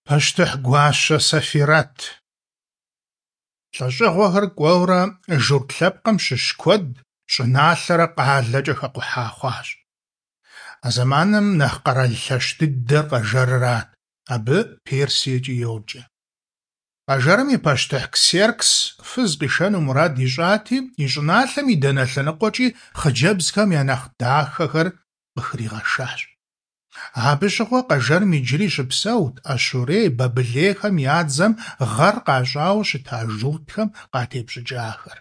Пащтыхь гуащэ Сэфирэт. Лӏэщӏыгъуэхэр кӏуэурэ, журт лъэпкъым щыщ куэд щӏыналъэрэ къалэкӏэ хэкъухьа хъуащ. А зэманым нэхъ къэрал лъэщ дыдэр Къэжэрырат, абы Персиекӏи йоджэ. Къэжэрым и пащтыхь Ксеркс фыз къишэну мурад ищӏати, и щӏыналъэм и дэнэ лъэныкъуэкӏи хъыджэбзхэм я нэхъ дахэхэр къыхригъэшащ. Абы щыгъуэ Къэжэрым иджыри щыпсэут ащурей, бабылейхэм я дзэм гъэр къащӏауэ щыта журтхэм къатепщӏыкӏахэр.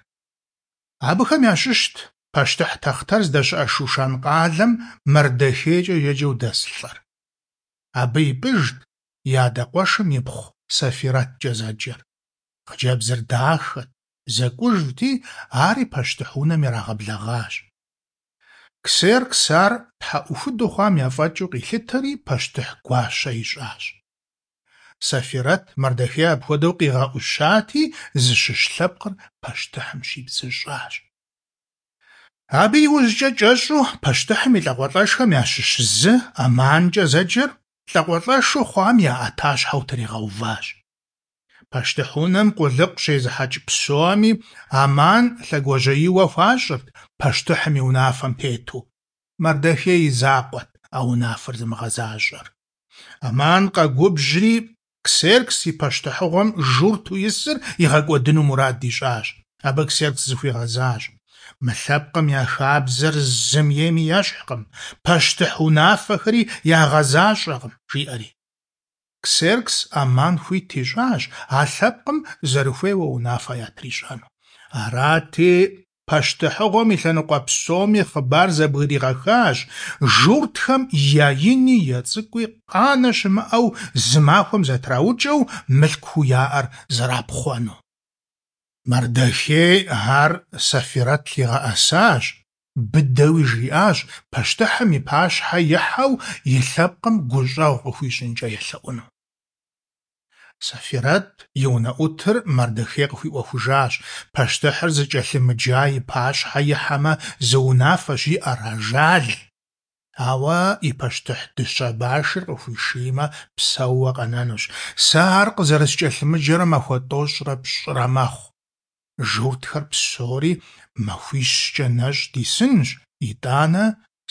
Абыхэм ящыщт пащтыхь тахътэр здэщыӏэ Шушан къалэм Мардэхейкӏэ еджэу дэс лӏыр. Абы ипӏыжт и адэ къуэшым ипхъу Сэфирэткӏэ зэджэр. Хъыджэбзыр дахэт, зэкӏужти, ари пащтыхь унэм ирагъэблэгъащ. Ксеркс ар тхьэӏухуду хъуам яфӏэкӏыу къилъытэри пащтыхь гуащэ ищӏащ. Сэфирэт Мардэхей апхуэдэу къигъэӏущати, зыщыщ лъэпкъыр пащтыхьым щибзыщӏащ. Абы иужькӏэ кӏэщӏу пащтыхьым и лӏакъуэлӏэшхэм ящыщ зы, Аманкӏэ зэджэр, лӏакъуэлӏэшу хъуам я ӏэтащхьэу тригъэуващ. Пащтыхь унэм къулыкъу щезыхьэкӏ псоми Аман лъэгуажьэиуэ хуащӏырт пащтыхьым и унафэм тету. Мардэхей и закъуэт а унафэр зымыгъэзащӏэр. Аман къэгубжьри, Ксеркс и пащтыхьыгъуэм журту исыр игъэкӏуэдыну мурад ищӏащ. Абы Ксеркс зыхуигъэзащ: Мы лъэпкъым я хабзэр зым ейми ещхькъым, пащтыхь унафэхэри ягъэзащӏэкъым, жиӏэри. Ксеркс Аман хуит ищӏащ а лъэпкъым зэрыхуейуэ унафэ ятрищӏэну. Арати, пащтыхьыгъуэм и лъэныкъуэ псоми хъыбар зэбгригъэхащ, журтхэм я ини я цӏыкӏуи къанэ щымыӏэу зы махуэм зэтраукӏэу мылъкуу яӏэр зэрапхъуэну. Мардэхей ар Сэфирэт лъигъэӏэсащ, быдэуи жриӏащ пащтыхьым и пащхьэ ихьэу и лъэпкъым гущӏэгъу къыхуищӏынкӏэ елъэӏуну. Сэфирэт и унэӏутыр Мардэхей къыхуиӏуэхужащ: пащтыхьыр зыкӏэлъымыджа и пащхьэ ихьэмэ, зы унафэщ иӏэр – ажал! Ауэ и пащтыхь дыщэ башыр къыхуишиймэ, псэууэ къэнэнущ. Сэ ар къызэрыскӏэлъымыджэрэ махуэ тӏощӏрэ пщӏырэ мэхъу. Журтхэр псори махуищкӏэ нэщӏ дисынщ, итӏанэ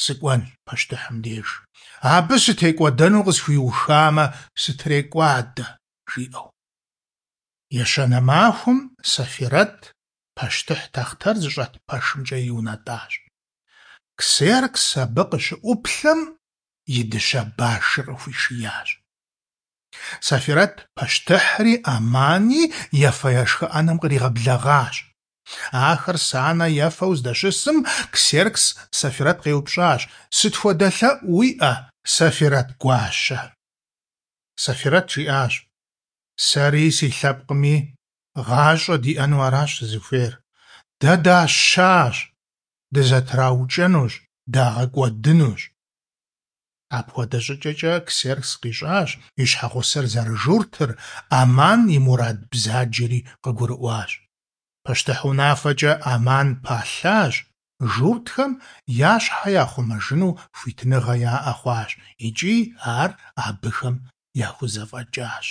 сыкӏуэнщ пащтыхьым деж. Абы сытекӏуэдэну къысхуиухамэ, сытрекӏуадэ, жиӏэу. Ещанэ махуэм Сэфирэт пащтыхь тахътэр зыщӏэт пэшымкӏэ иунэтӏащ. Ксеркс абы къыщыӏуплъэм и дыщэ башыр къыхуишиящ. Сэфирэт пащтыхьри Амани ефэ-ешхэ ӏэнэм къригъэблэгъащ. Ахэр санэ ефэу здэщысым, Ксеркс Сэфирэт къеупщӏащ: Сыт хуэдэ лъэӏу уиӏэ, Сэфирэт гуащэ? Сэфирэт жиӏащ: Сэри си лъэпкъми гъащӏэ диӏэну аращ сызыхуейр. Дэ дащащ, дызэтраукӏэнущ, дагъэкӏуэдынущ. Апхуэдэ щӏыкӏэкӏэ Ксеркс къищӏащ и щхьэгъусэр зэрыжуртыр, Аман и мурад бзаджэри къыгурыӏуащ. Пащтыхь унафэкӏэ Аман палъащ, журтхэм я щхьэ яхъумэжыну хуитыныгъэ яӏэ хъуащ икӏи ар абыхэм яхузэфӏэкӏащ.